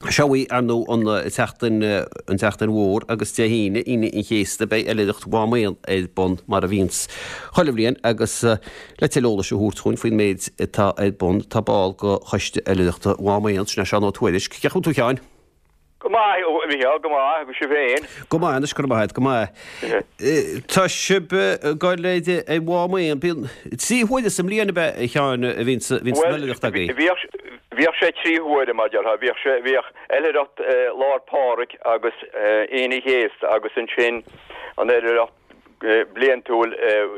Seo í, ar ndóigh, an tseachtain, an tseachtain mhór agus Dé hAoine, Aoine an Chéasta, beidh Oilithreacht Mhám Éan ar bun mar a bhíonns chuile bhliain agus le tuilleadh eolais a thabhairt dhúinn faoin méid atá ar bun, tá ball de Choiste Oilithreachta Mhám Éan, sin é Seán Ó Tuairisg. Cén chaoi a bhfuil tú a Sheáin? Go maith, a Mhícheáil, go maith, agus sibh féin? Go maith anois, go raibh maith agat, go maith. Tá sibh ag goil ar Mhám Éan, bíonn 3 huaire sa mbliain ab ea, a Sheáin, a bhíonns an oilithreacht agaibh? Bhuel, bhíodh sé 3 huaire, mar déarfá, bhíodh sé, bhíodh oilithreacht Lá 'le Pádraig agus Aoine an Chéasta agus ansin an oilithreacht bliantúil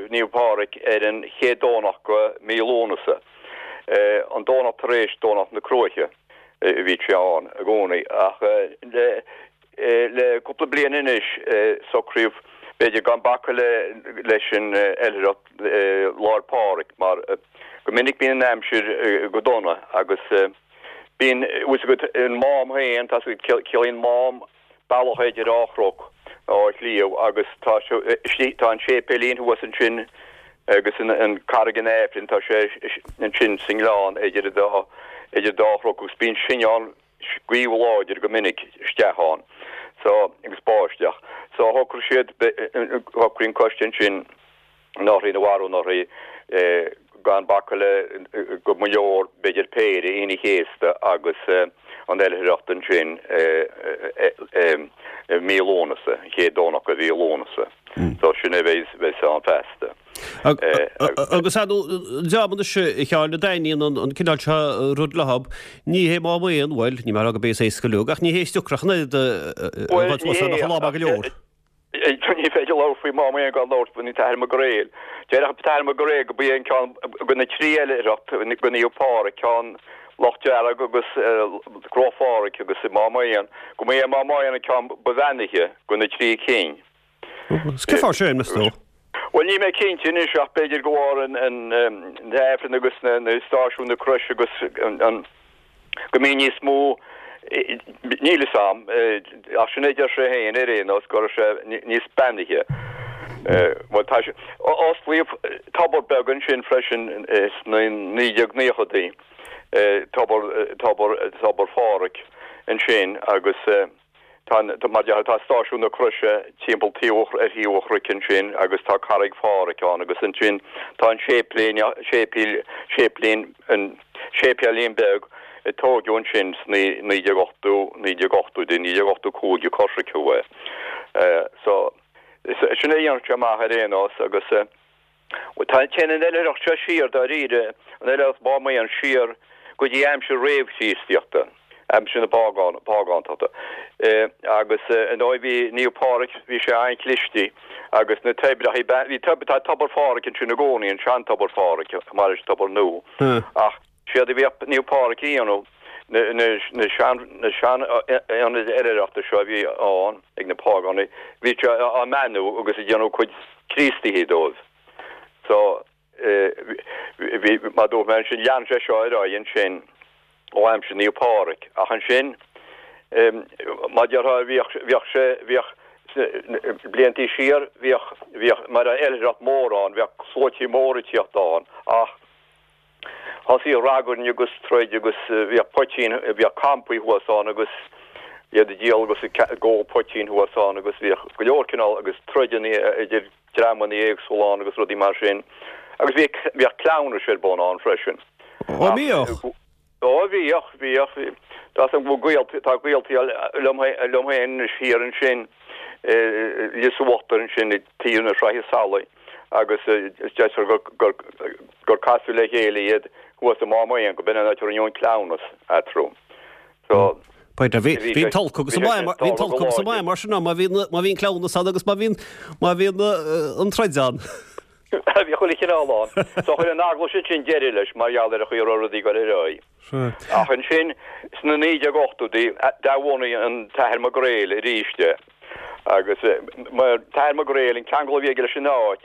Naomh Pádraig ar an chéad Domhnach de mhí Lúnasa, an Domhnach tar éis Domhnach na Cruaiche. Bhí sé ann i gcónaí ach le cúpla bliain anois socraíodh b'fhéidir gan bacadh leis an oilithreacht Lá 'le Pádraig mar go minic bíonn an aimsir go dona agus bíonn, bhfuil 's agat, an Mám féin, tá 's agat, ciallaíonn Mám bealach idir dhá chnoc nó dhá shliabh agus tá tá an séipéilín thuas ansin agus an Carraig an Aifrinn tá sé ansin sa ngleann idir an dá idir dá chnoc agus bíonn cineál gaoth láidir go minic isteach ann so agus báisteach so shocraigh siad shocraigh an coiste ansin anuraidh nó arú-anuraidh gan bacadh le go mba leor b'fhéidir péire Aoine an Chéasta agus an oilithreacht ansin i mí Lúnasa, an chéad Domhnach de mhí Lúnasa. So sin é a bheas ann feasta. Agus ar ndóigh, an dream anois a Sheáin a dtaitníonn an cineál seo rud leob, ní hé Mám Éan, bhuel, níl mé ag rá gurb é is éasca leo, ach ní hé is deacra ach an oiread a dhul suas ann ach an lá maith go leor. Ní féidir labhairt faoi Mám Éan gan labhairt faoin tAthair Mac Gréil. Déarfadh an tAthair Mac Gréil go b'é an ceann de na trí oilithreacht go Naomh Pádraig, ceann Loch Dearg agus Crois Phádraig agus Mám Éan, go mba é Mám Éan an ceann ba bheannaithe de na trí cinn. Cén fáth sin, meas tú? Bhuel, níl mé cinnte anois ach b'fhéidir go bharr an Aifrinn agus na stáisiún na croise agus an go mbíonn níos mó, níl fhios a'm, ach sin é a deir sé féin ar aon nós, go raibh sé níos beannaithe. Bhuel, tá sé, osclaíodh tobar beag ansin freisin sna 1990idí, tobar, tobar, tobar Phádraig ansin agus, Tá, mar a déarfá, tá Stáisiún na Croise timpeall taobh, ar thaobh an chnoic ansin agus tá Carraig Phádhraic ann agus ansin tá an séiplín, séipéal, séiplín, an séipéilín beag a tóigeadh ansin sna 1980, 1980idí, 1985 a coisriceadh é. So, sin é a dhéanann sé amach ar aon nós agus. Tá, téann an oilithreacht seo siar, dáiríre, an oilithreacht Mhám Éan siar go dtí aimsir réamh-Chríostaíochta, aimsir na págántachta. Agus ar ndóigh bhí Naomh Pádraig, bhí sé an-chliste agus na toibreacha, bhí, tá Tobar Phádraig ansin i gcónaí, an sean-Tobar Phádraig, chomh maith leis an tobar nua. Ach séard a bhíodh Naomh Pádraig a dhéanamh, na sean, na sean ionaid oilithreachta seo a bhí ann ag na págánaigh, bhí sé á mbeannú agus ag déanamh cuid Críostaithe dóibh. So, bhí, mar a dúirt mé ansin, lean sé seo ar aghaidh ansin ó aimsir Naomh Pádraig. Ach ansin, mar a déarfá, bhíodh, bhíodh sé, bhíodh, bliantaí siar, bhíodh, bhíodh, mar oilithreacht mór ann, bhíodh sluaití móra ag tíocht ann ach, Thosaigh ragairne agus troid agus bhíodh poitín, bhíodh campaí thuas ann agus iad ag díol agus ag ól poitín thuas ann agus bhíodh go leor cineál agus troideanna idir dreamanna éagsúla ann agus rudaí mar sin. Agus bhí, bhíodh cleamhnais ar bun ann freisin. Ó bhíodh? Ó bhíodh, bhíodh. Tá a fhios agam go bhfuil gaolta, tá gaoltaí liom, liom féin anois thiar ansin i Lios Uachtair ansin ag taobh na Sraithe Salaí. agus deirtear gur casadh le chéile iad thuas i Mám Éan, go b'in an áit a rinneadh an cleamhnas eatarthu. So, Bhí an t-olc agus an maith, bhí an t-olc agus an maith mar sin ann, má bhí má bhí an cleamhnas ann agus má bhí má bhí an troid ann. Bhí chuile chineál ann. So chuir an eaglais ansin deireadh leis mar gheall ar an chaoi a raibh rudaí ag dul ar aghaidh. Ach ansin, sna 1980idí, d'athbhunaigh an tAthair Mac Gréil arís é. Agus mar tAthair Mac Gréil, an ceangal a bhí aige leis an áit,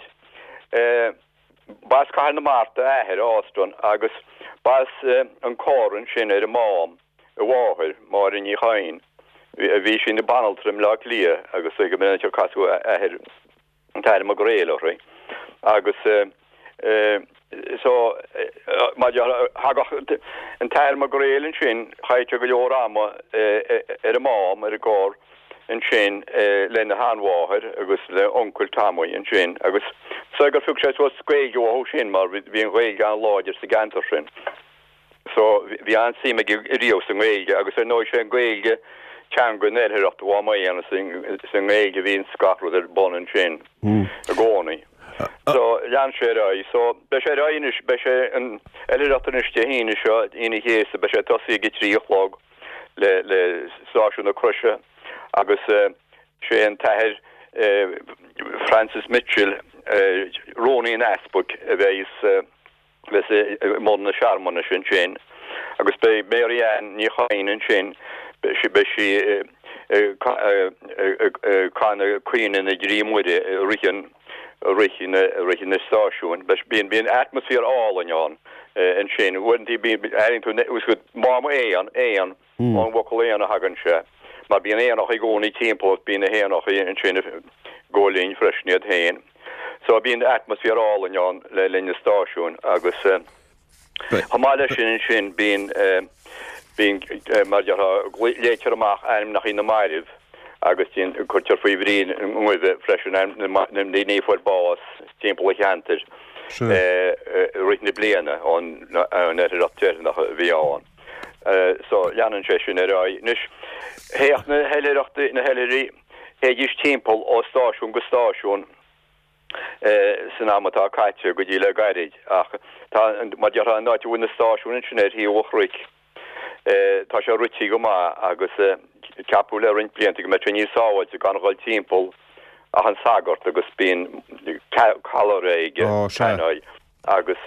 b'as Cathair na Mart a athair, Austin, agus b'as an Corr ansin ar an Mám a mháthair, Máire Ní Chadhain. Bhí sí ina banaltra i mBleá Cliath agus go minic ar casadh a athair, an tAthair Mac Gréil uirthi. Agus. So, mar thagadh an tAthair Mac Gréil ansin, chaith sé go leor ama ar an Mám, ar an gCorr ansin lena sheanmháthair agus le uncail Tommy ansin agus so gur phioc sé suas Gaeilge uathu sin mar bhí an Ghaeilge an-láidir sa gceantar sin. So bhí an-suim aige riamh sa nGaeilge agus ar ndóigh sé an Ghaeilge teanga na hOilithreachta Mhám Éan is i nGaeilge a bhíonns gach rud ar bun ansin i gcónaí. So lean sé ar aghaidh. So beidh sé ar aghaidh anois, beidh sé an oilithreacht anois Dé hAoine seo, Aoine an Chéasta, beidh sé ag tosaí ag a 3 a chlog le le Stáisiún na Croise agus sé an tAthair Francis Mitchell, Rúnaí an Easpaig a bheidh bheas i mbun na searmanais ansin agus beidh Mary Ann Ní Chadhain ansin, beidh sí ag canadh Caoineadh na dTrí Muire i rith an rith na rith na stáisiúin. Bíonn bíonn atmaisféar álainn ann ansin. Uaireanta bíonn airíonn tú Mám Éan, éan. Ón bhfocal éan a thagann sé, mar bíonn éanacha i gcónaí timpeall, bíonn na héanacha ansin ag gabháil fhoinn freisin iad féin. So bíonn atmaisféar álainn ann le linn na stáisiúin agus chomh maith leis sin ansin bíonn, bíonn mar a déarfá, léitear amach ainmneacha na mairbh agus cuirtear faoi bhrí na ngoimhe freisin ainm na ndaoine a fuair bás timpeall an cheantair i rith na bliana ón oilithreacht deireanach a bhí ann. So, leanann sé sin ar aghaidh. Anois, théadh na hoilithreachtaí, na hoilithrigh, théidís timpeall ó stáisiún go stáisiún san am atá caite go dtí le gairid ach tá, mar déarfá, an áit a bhfuil na stáisiúin ansin ar thaobh an chnoic, tá sé rite go maith agus ceapadh le roinnt blianta go mbeadh sé níos sábháilte gan dhul timpeall ach an sagart agus bíonn callaire aige, tannoy. agus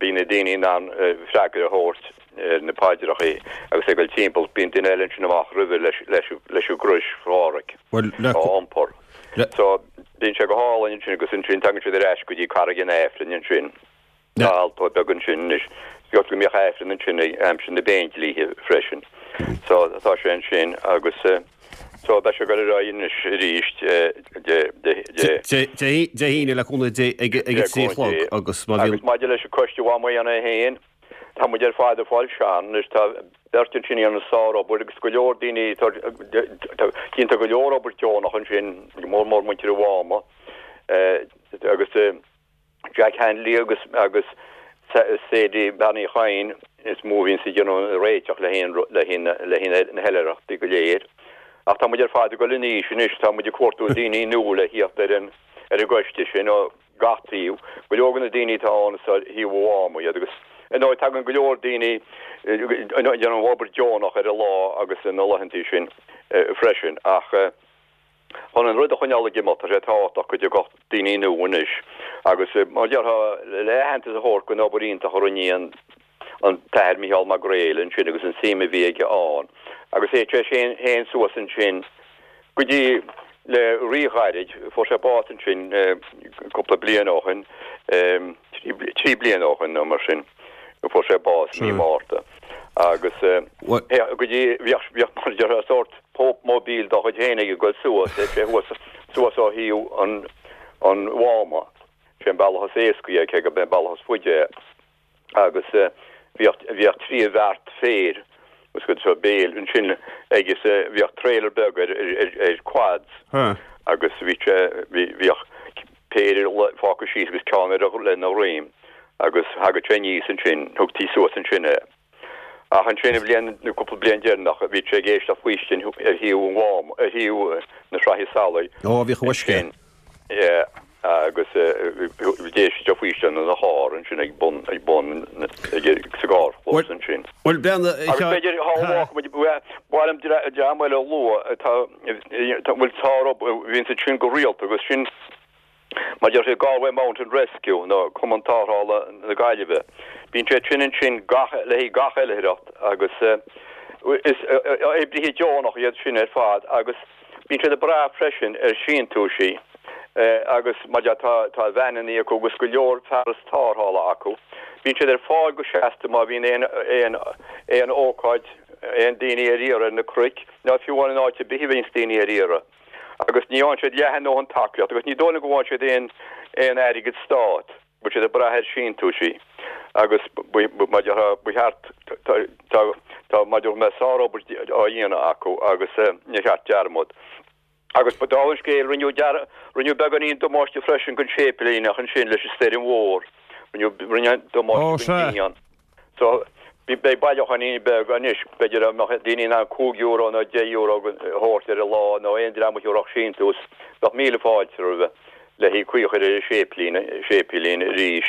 bíonn na daoine in ann freagra a thabhairt ar na paidreachaí agus ag dul timpeall. Bíonn duine eile ansin amach roimhe leis an gcrois Phádhraic á iompar. So bíonn sé go hálainn ansin agus ansin tagann siad ar ais go dtí Carraig an Aifrinn ansin. Tá altóir beag ansin anois. Is go mbíodh Aifreann ansin ag aimsir na bPéindlíthe freisin. So tá sé ansin agus. So, beidh sé ag dul ar aghaidh anois arís Dé Dé hAoine le cúnamh Dé ag a 3 a chlog agus má bhíonn. Agus maidir leis an Coiste Mhám Éan é féin, tá muid ar fad ag fáil sean anois, tá beirt ansin a dhéanann sár-obair agus go leor daoine, déantar go leor obair deonach ansin, go mór mór muintir an Mháma agus. Jack Hanley agus agus Sadie Bean Uí Chadhain is mó a bhíonns ag déanamh an réiteach le haghaidh le haghaidh le haghaidh na hoilithreachtaí go léir. Ach tá muid ar fad ag dul in aois anois, tá muid ag cuartú daoine nua le thíocht ar an ar an gcoiste sin ó gach taobh. Go leor de na daoine atá ann is ó thaobh an Mháma iad agus ar ndóigh tagann go leor daoine ag déanamh obair deonach ar an lá agus na laethantaí sin freisin ach Chun an rud a choinneáil ag imeacht, tá sé tábhachtach go dtiocfadh daoine nua anois agus, mar a déarfá, le aitheantas a thabhairt don obair iontach a rinne an an tAthair Micheál Mac Gréil ansin agus an suim a bhí aige ann agus théadh sé féin suas ansin go dtí le ríghairid, fuair sé bás ansin cúpla bliain ó shin, 3 bliana ó shin nó mar sin a fuair sé bás i mí Márta agus go dtí bhíodh bhíodh mar a déarfá sórt Pope Mobile dá chuid féin aige ag dul suas, théadh sé thuas suas ó thaobh an an Mháma, sé an bealach is éascaí é cé gurb é an bealach is faide é agus bhíodh bhíodh 3 bheart féir os go seo béil ansin aige is bhíodh trailer beag ar ar ar quads agus bhí sé bhí bhíodh péire fágtha síos agus ceann ar a lena dhroim agus thagadh sé aníos ansin, thugtaí suas ansin é. Ach ansin an bhliain, nó cúpla bliain deireanach, bhí sé ag éisteacht faoistin ar thaobh an Mháma, ar thaobh na Sraithe Salaí. Ó, bhíodh an uisce. Ansin, yeah, agus d'éist sé faoistin ina charr ansin ag bun, ag bun, ag, sa gcarrchlós ansin. Bhuel, bean, Agus b'fhéidir, thá a bhfágfaidh muid, ba mhaith liom dream eile a lua atá, a bhfuil sár-obair, bhíonn siad sin go rialta agus sin, Mar a deir Galway Mountain Rescue nó Cumann Tarrthála na Gaillimhe, bíonn siad sin ansin gach, le haghaidh gach oilithreacht agus is oibrithe deonach iad sin ar fad agus bíonn siad ag brath freisin ar síntiúisí agus mar deir tá tá veaineanna acu agus go leor fearas tarrthála acu. Bíonn siad ar fáil go seasta má bhíonn aon aon aon ócáid, aon daoine ar iarraidh ar na cnoic nó fiú amháin in áit ar bith a bhíonns daoine ar iarraidh. Agus ní fhaigheann siad leath a ndóthain tacaíocht agus ní dóigh liom go bhfaigheann siad aon aon airgead stát. Bhfuil siad ag brath ar síntiúisí agus mar a déarfá ba cheart tá tá mar a déarfá mé sárobair á dhéanamh acu agus níor cheart dearmad. Agus ba dála an scéil rinneadh dear rinneadh beagáinín damáiste freisin don séipéilíneach ansin leis an stoirm mhór. Rinneadh rinneadh damáiste don díon. So, beidh bailiúcháinín beag anois, b'fhéidir dá mbeadh daoine in ann €5 nó €10 a thabhairt ar an lá nó aon dream a thiúrfadh síntiús, bheadh míle fáilte roimhe le haghaidh caoi a chur ar an séiplín, séipéilín arís.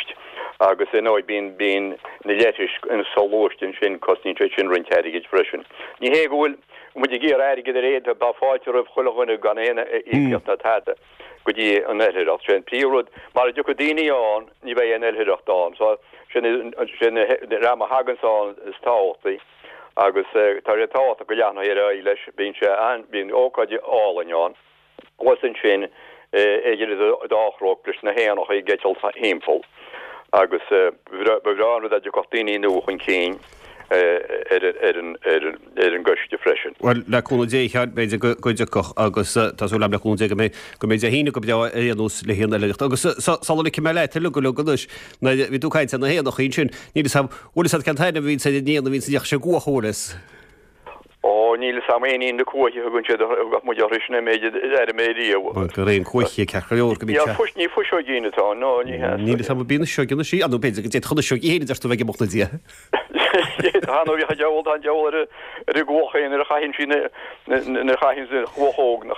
Agus ar ndóigh bíonn, bíonn na leithris soghluaiste ansin, cosnaíonn siad sin roinnt airgid freisin. Ní hé go bhfuil muid ag iarraidh airgead ar aon, tá fáilte roimh chuile dhuine gan aon íocaíocht ná tada go dtí an oilithreacht. Sé an príomh-rud, mara dtiocfaidh daoine ann, ní bheidh aon oilithreacht ann. So, sé an dream a thaganns ann is tábhachtaí agus tá sé tábhachtach go leanfaí ar aghaidh leis. Bíonn sé an, bíonn ócáid álainn ann. Thuas ansin idir an dá chnoc leis na héanacha ag eitilt thimpeall agus ba bhreá an rud é dá dtiocfadh daoine nua chun cinn ar an gcoiste freisin. Bhuel, le cúnamh Dé, a Sheáin, b'fhéidir go dtiocfadh agus tá súil agam le cúnamh Dé go mbeidh, go mbeidh Dé hAoine go breá ar aon nós le haghaidh an oilithreacht. Agus sula ligfidh mé leat uilig uilig anois, nuair a bhí tú ag caint ar na héanacha ansin, níl 'fhios a'm, bhfuil 'fhios a'd cén t-ainm a bhíonns ar an éan a bhíonns ag déanamh sé cuach an bhfuil 'fhios? Ó, níl 'fhios a'm, éinín na cuaiche a thugann siad, a thugadh muid orthu sin, an méid a d'airigh mé riamh. Bhuel, gur éan cuaiche ceart go leor go mbíonn sé. Ní fuiseoigín atá ann, nó ní hea. Níl 'fhios a'm an bíonn fuiseog anois í, nó b'fhéidir go d'fhéadfadh an fhuiseog í féin a deir tú bheith ag imeacht 'na diaidh. Tá nó bhíodh an diabhal, tá an diabhal ar ar an gcuach féin nuair a chaitheann sí na, nuair a chaitheann an chuach óg na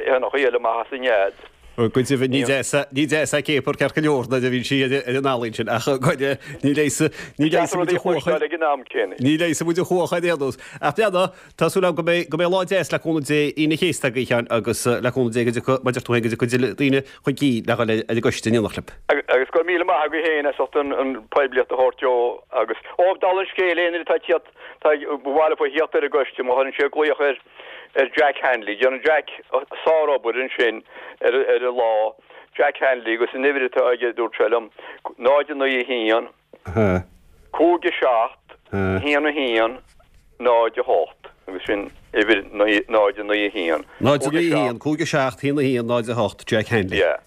héanacha eile amach as a nead. Go deimhin, ní deas ní deas é céapar ceart go leor nuair a bhíonn sí ar an ealaín sin ach go ní leigheasfaidh ní leigheasfaidh muid an chuach ag an am céanna. Ní leigheasfaidh muid an chuach ar aon nós. Ach breathnaigh, tá súil agam go mbeidh go mbeidh lá deas le cúnamh Dé Aoine an Chéasta agaibh a Sheáin agus le cúnamh Dé go dtiocfaidh mar a deir tú féin go dtiocfaidh tuilleadh daoine chun cinn le dhul ar an gcoiste in éineacht libh. Agus go raibh míle maith agaibh féin as ucht an poiblíocht a thabhairt dó agus ó dála an scéil aon duine atá ag tíocht tá ba mhaith leofa thíocht ar an gcoiste má chuireann siad glaoch ar ar Jack Hanley. Déanann Jack sárobair ansin ar ar an lá. Jack Hanley agus an uimhir atá aige dúirt sé liom 0 9 1 5 7 1 1 0 8 agus sin uimhir 0 9 1 0 9 1 5 7 1 1 0 8 Jack Hanley. Yeah.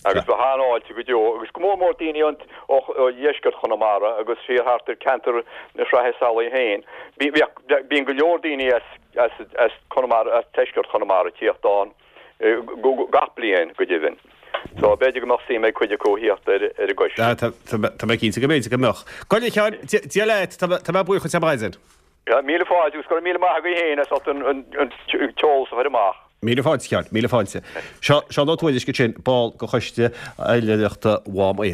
Agus bheadh an-fháilte go deo agus go mór mór daoine ó dheisceart Chonamara agus siar thart ar ceantar na Sraithe Salaí féin. Bíonn go leor daoine as Conamara, as deisceart Chonamara ag tíocht ann gach bliain go deimhin. So b'fhéidir go mbeadh suim ag cuid acu a thíocht ar an gcoiste. Tá mé cinnte go mb'fhéidir go mbeadh. Go, a Sheáin, Dia leat, tá mé buíoch duit ar maidin. Míle fáilte agus go raibh míle maith agaibh féin as ucht an t-eolas a chur amach. Míle fáilte, a Sheáin, míle fáilte. Seo Seán Ó Tuairisg ansin, ball de Choiste Oilithreachta Mhám Éan.